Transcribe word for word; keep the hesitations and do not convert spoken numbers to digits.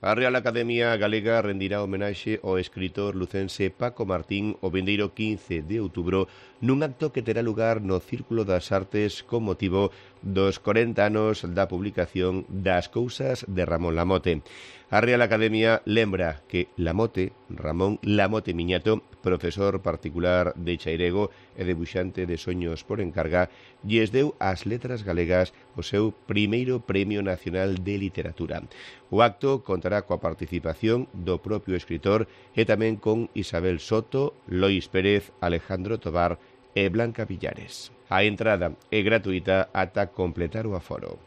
A Real Academia Galega rendirá homenaxe ao escritor lucense Paco Martín o vindeiro quince de outubro nun acto que terá lugar no Círculo das Artes con motivo dos corenta anos da publicación das Cousas de Ramón Lamote. A Real Academia lembra que Lamote, Ramón Lamote Miñato, profesor particular de Chairego e debuxante de soños por encarga, lles deu ás letras galegas o seu primeiro Premio Nacional de Literatura. O acto contará coa participación do propio escritor e tamén con Isabel Soto, Lois Pérez, Alejandro Tobar e Blanca Villares. A entrada é gratuita ata completar o aforo.